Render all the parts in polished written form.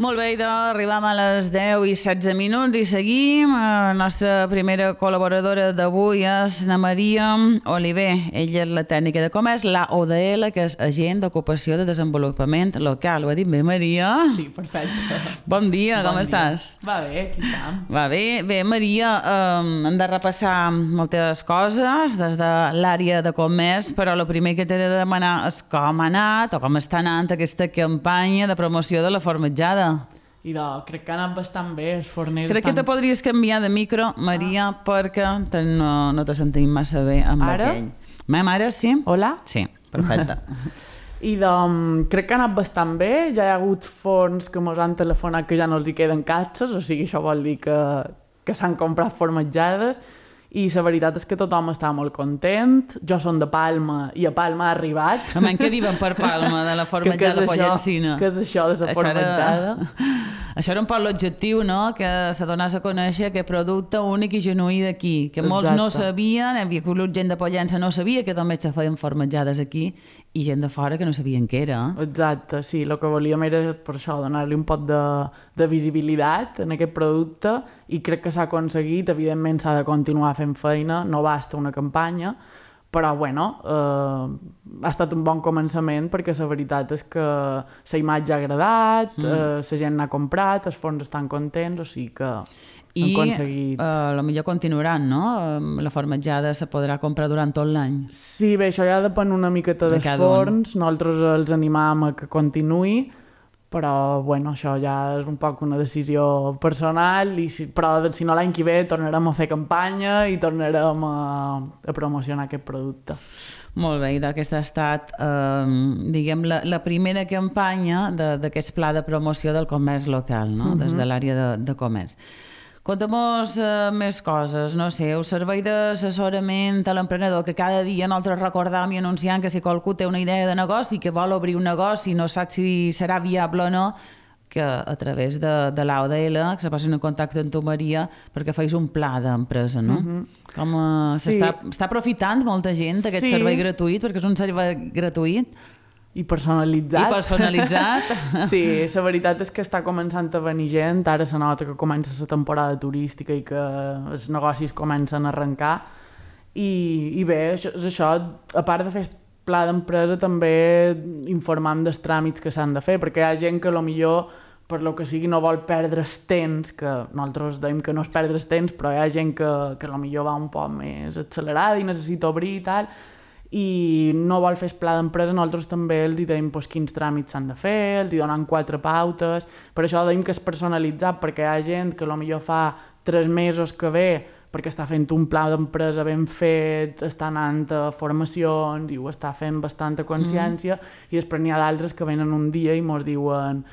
Molt bé, idò, arribam a les 10 i 16 minuts i seguim. La nostra primera col·laboradora d'avui és na Maria Oliver. Ella és la tècnica de comerç, la ODL, que és agent d'ocupació de desenvolupament local. Ho ha dit bé, Maria? Sí, perfecte. Bon dia, com estàs? Va bé, aquí estem. Va bé. Bé, Maria, hem de repassar moltes coses des de l'àrea de comerç, però el primer que t'he de demanar és com ha anat o com està anant aquesta campanya de promoció de la formatjada. I crec que ha anat bastant bé, els forners Crec que te podries canviar de micro, Maria, perquè no te sentim massa bé amb Ara? aquell. Ara sí? Hola? Sí, perfecte. I crec que ha anat bastant bé, ja hi ha hagut forns que mos han telefonat que ja no els hi queden catxes, o sigui, això vol dir que s'han comprat formatjades, i la veritat és que tothom està molt content. Jo som de Palma i a Palma ha arribat. Home, què diuen per Palma de la formatjada pollencina? Què és això de la formatjada? Això era un poc l'objectiu, no? Que se donés a conèixer aquest producte únic i genuí d'aquí, que molts no sabien, hi havia hagut gent de Pollença no sabia que només se feien formatjades aquí i gent de fora que no sabien què era. Exacte, sí, el que volíem era per això, donar-li un poc de visibilitat en aquest producte i crec que s'ha aconseguit. Evidentment s'ha de continuar fent feina, no basta una campanya, però bueno, ha estat un bon començament perquè la veritat és que la imatge ha agradat, la gent n'ha comprat, els forns estan contents, o sigui que hem aconseguit... I potser continuaran, no? La formatjada se podrà comprar durant tot l'any. Sí, bé, això ja depèn una miqueta dels forns, nosaltres els animam a que continuï, però bueno, això ja és un poc una decisió personal, però si no l'any que ve tornarem a fer campanya i tornarem a promocionar aquest producte. Molt bé, i aquesta ha estat, diguem, la primera campanya d'aquest pla de promoció del comerç local, no? Des de l'àrea de comerç. Conta'm-nos més coses, no sé, el servei d'assessorament a l'emprenedor, que cada dia nosaltres recordam i anunciant que si qualcú té una idea de negoci, que vol obrir un negoci i no sap si serà viable o no, que a través de l'AODL que se posin en contacte amb tu, Maria, perquè feis un pla d'empresa, no? Com s'està aprofitant molta gent d'aquest servei gratuït, perquè és un servei gratuït, i personalitzat. I personalitzat. Sí, la veritat és que està començant a venir gent, ara se nota que comença la temporada turística i que els negocis comencen a arrencar i bé, això, a part de fer pla d'empresa també informem dels tràmits que s'han de fer, perquè hi ha gent que millor per lo que sigui no vol perdre el temps, que nosaltres dèiem que no és perdre el temps, però hi ha gent que millor va un poc més accelerada i necessita obrir i tal, i no vol fer el pla d'empresa, nosaltres també els dèiem quins tràmits s'han de fer, els donem 4 pautes, per això dèiem que és personalitzat, perquè hi ha gent que potser fa 3 mesos que ve perquè està fent un pla d'empresa ben fet, està anant a formacions i ho està fent bastanta consciència, i després n'hi ha d'altres que venen un dia i ens diuen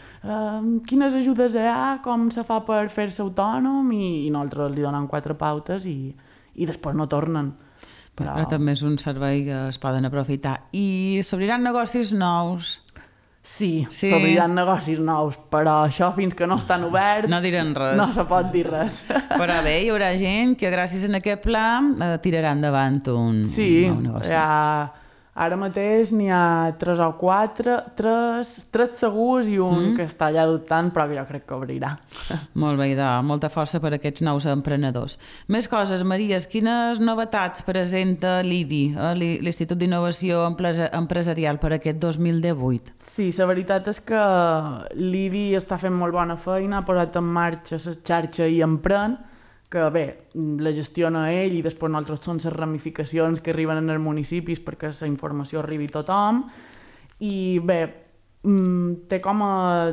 quines ajudes hi ha, com se fa per fer-se autònom, i nosaltres els donem 4 pautes i després no tornen. Però també és un servei que es poden aprofitar. I s'obriran negocis nous? Sí, s'obriran negocis nous, però això fins que no estan oberts... No diran res. No se pot dir res. Però bé, hi haurà gent que gràcies a aquest pla tirarà endavant un nou negoci. Sí, ara mateix n'hi ha 3 o 4, 3 segurs i un que està allà dubtant, però que jo crec que obrirà. Molt bé, molta força per a aquests nous emprenedors. Més coses, Maria, quines novetats presenta l'IDI, l'Institut d'Innovació Empresarial, per aquest 2018? Sí, la veritat és que l'IDI està fent molt bona feina, ha posat en marxa la xarxa i empren, que bé, la gestiona ell i després nosaltres són les ramificacions que arriben en els municipis perquè la informació arribi a tothom, i bé, té com a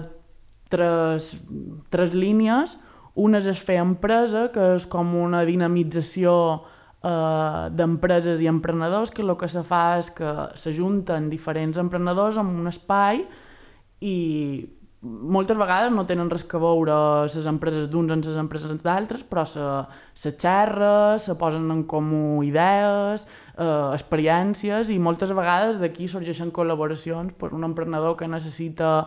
3 línies. Una és fer empresa, que és com una dinamització d'empreses i emprenedors, que el que se fa és que s'ajunten diferents emprenedors en un espai i moltes vegades no tenen res a veure les empreses d'uns amb les empreses d'altres, però se xerra, se posen en comú idees, experiències, i moltes vegades d'aquí sorgeixen col·laboracions per un emprenedor que necessita,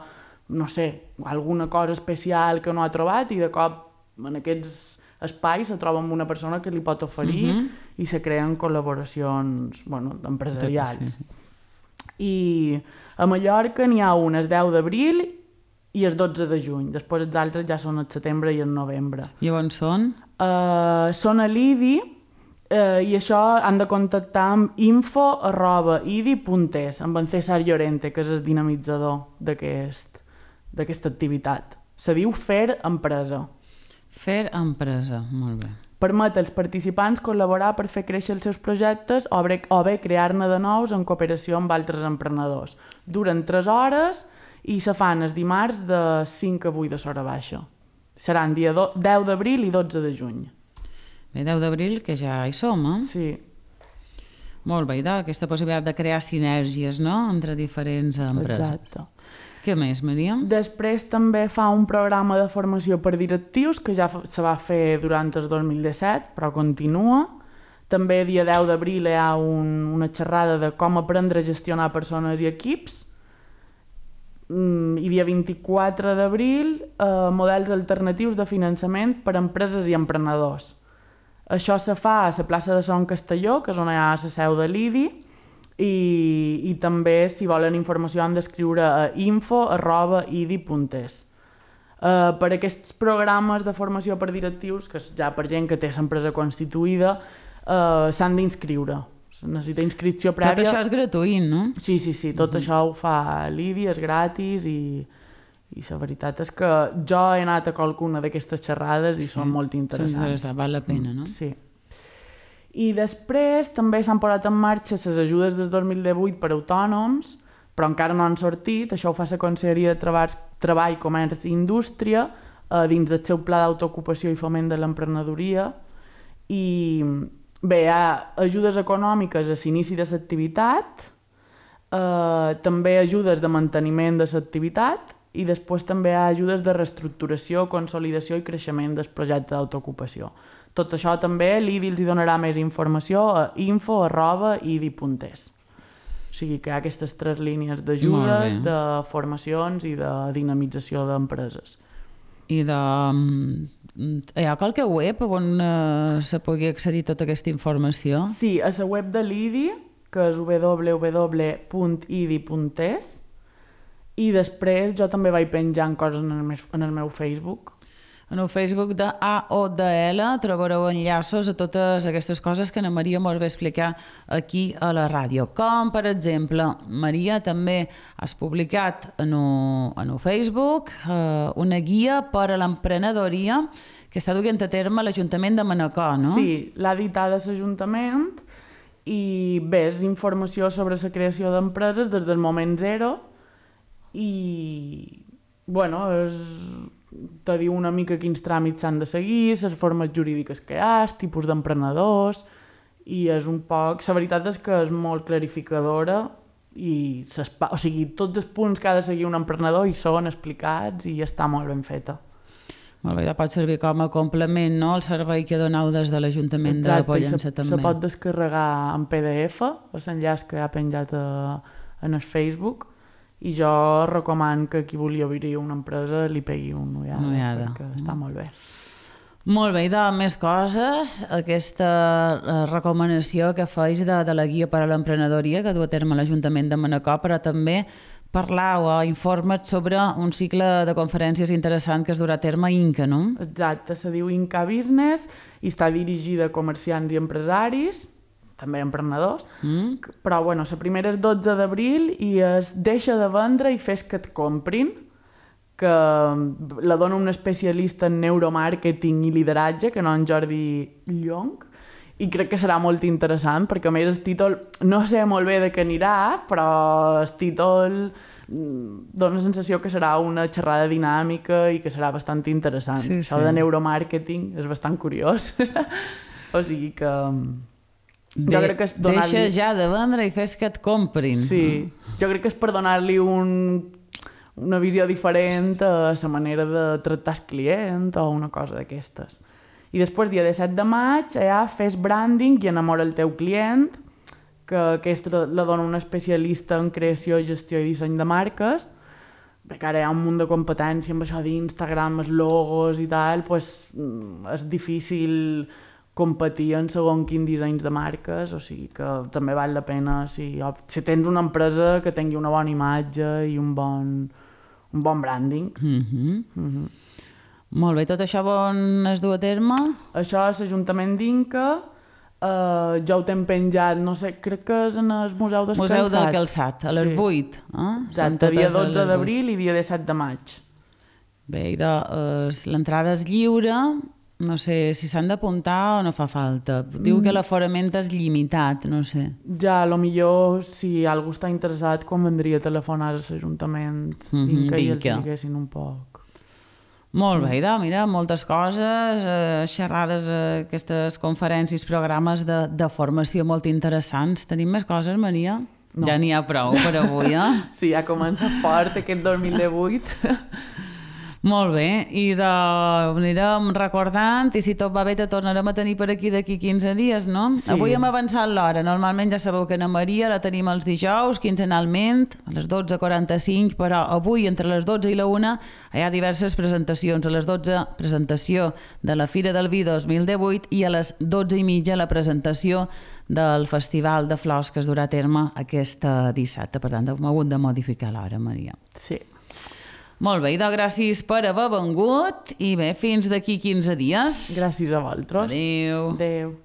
no sé, alguna cosa especial que no ha trobat, i de cop en aquests espais se troba amb una persona que li pot oferir i se creen col·laboracions empresarials. I a Mallorca n'hi ha un el 10 d'abril i el 12 de juny. Després els altres ja són el setembre i el novembre. I on són? Són a l'IDI i això han de contactar amb info@idi.es, amb en César Llorente, que és el dinamitzador d'aquesta activitat. Se diu Fer Empresa. Fer Empresa, molt bé. Permet als participants col·laborar per fer créixer els seus projectes o bé crear-ne de nous en cooperació amb altres emprenedors. Duren 3 hores i se fan els dimarts de 5 a 8 de l'hora baixa. Seran dia 10 d'abril i 12 de juny. Bé, 10 d'abril, que ja hi som, eh? Sí. Molt bé, aquesta possibilitat de crear sinergies, no?, entre diferents empreses. Exacte. Què més, Maria? Després també fa un programa de formació per directius que ja se va fer durant el 2017, però continua. També dia 10 d'abril hi ha una xerrada de com aprendre a gestionar persones i equips. I dia 24 d'abril models alternatius de finançament per a empreses i emprenedors. Això se fa a la plaça de Son Castelló, que és on hi ha la seu de l'IDI, i també, si volen informació, han d'escriure a info@idi.es. Per aquests programes de formació per directius, que és ja per gent que té l'empresa constituïda, s'han d'inscriure. Necessita inscripció prèvia. Tot això és gratuït, no? Sí, tot això ho fa l'IDI, és gratis i la veritat és que jo he anat a qualcuna d'aquestes xerrades i són molt interessants. Val la pena, no? Sí. I després també s'han posat en marxa les ajudes des 2018 per a autònoms, però encara no han sortit. Això ho fa la Conselleria de Treball, Comerç i Indústria dins del seu pla d'autoocupació i foment de l'emprenedoria. I bé, hi ha ajudes econòmiques a l'inici de l'activitat, també ajudes de manteniment de l'activitat i després també hi ha ajudes de reestructuració, consolidació i creixement del projecte d'autoocupació. Tot això també l'IDI els donarà més informació a info@idi.es. O sigui que hi ha aquestes 3 línies d'ajudes, de formacions i de dinamització d'empreses. I hi ha qualque web on se pugui accedir a tota aquesta informació? Sí, a la web de l'IDI, que és www.idi.es, i després jo també vaig penjant coses en el meu Facebook. En el Facebook de AODL trobareu enllaços a totes aquestes coses que na Maria molt bé explicar aquí a la ràdio. Com, per exemple, Maria, també has publicat en el Facebook una guia per a l'emprenedoria que està duent a terme l'Ajuntament de Manacor, no? Sí, l'ha editada l'Ajuntament i bé, és informació sobre la creació d'empreses des del moment zero i, bueno, te diu una mica quins tràmits s'han de seguir, les formes jurídiques que hi ha, els tipus d'emprenedors, i és un poc... La veritat és que és molt clarificadora i o sigui, tots els punts que ha de seguir un emprenedor hi són explicats i està molt ben feta. Molt bé, ja pot servir com a complement, no?, el servei que doneu des de l'Ajuntament de Pollença també. Se pot descarregar en PDF, l'enllaç que ha penjat en el Facebook, i jo recomano que qui vulgui obrir una empresa li pegui una ullada. Perquè està molt bé. Molt bé, i de més coses, aquesta recomanació que feis de la guia per a l'emprenedoria que du a terme l'Ajuntament de Manacor, però també parlar o informa't sobre un cicle de conferències interessant que es durà a terme a Inca, no? Exacte, se diu Inca Business i està dirigida a comerciants i empresaris, també emprenedors, però bueno, la primera és 12 d'abril i es deixa de vendre i fes que et comprin, que la dona un especialista en neuromàrqueting i lideratge, que no en Jordi Llong, i crec que serà molt interessant, perquè a més el títol, no sé molt bé de què anirà, però el títol dona la sensació que serà una xerrada dinàmica i que serà bastant interessant. Sí, això de neuromàrqueting és bastant curiós. O sigui que... jo crec que és deixa ja de vendre i fes que et comprin. Sí, jo crec que és per donar-li una visió diferent a la manera de tractar el client o una cosa d'aquestes. I després, dia 17 de maig, fes branding i enamora el teu client, que aquesta la dona un especialista en creació, gestió i disseny de marques, perquè ara hi ha un munt de competència amb això d'Instagram, els logos i tal, doncs és difícil competir en segon quin dissenys de marques, o sigui que també val la pena si tens una empresa que tingui una bona imatge i un bon un bon branding. Molt bé, tot això on es du a terme? Això és l'Ajuntament d'Inca, jo ho tenc penjat, no sé, crec que és en el Museu del Calçat. Museu del Calçat, a les 8. Exacte, dia 12 d'abril i dia 17 de maig. Bé, l'entrada és lliure, no sé si s'han d'apuntar o no fa falta. Diu que l'aforament és limitat, no sé. Ja, millor si algú està interessat, convendria telefonar a l'Ajuntament d'Inca i els diguessin un poc. Molt bé, mira, moltes coses, xerrades, aquestes conferències, programes de formació molt interessants. Tenim més coses, Maria? No. Ja n'hi ha prou per avui, Sí, ja comença fort aquest 2018. Molt bé, i anirem recordant, i si tot va bé te tornarem a tenir per aquí d'aquí 15 dies, no? Sí. Avui hem avançat l'hora, normalment ja sabeu que na Maria la tenim els dijous, quinzenalment, a les 12:45, però avui entre les 12 i la 1 hi ha diverses presentacions. A les 12 presentació de la Fira del Vi 2018 i a les 12:30 la presentació del Festival de Flors que es durà a terme aquest dissabte. Per tant, hem hagut de modificar l'hora, Maria. Sí. Molt bé, gràcies per haver vengut i bé, fins d'aquí 15 dies. Gràcies a vosaltres. Adéu. Adéu.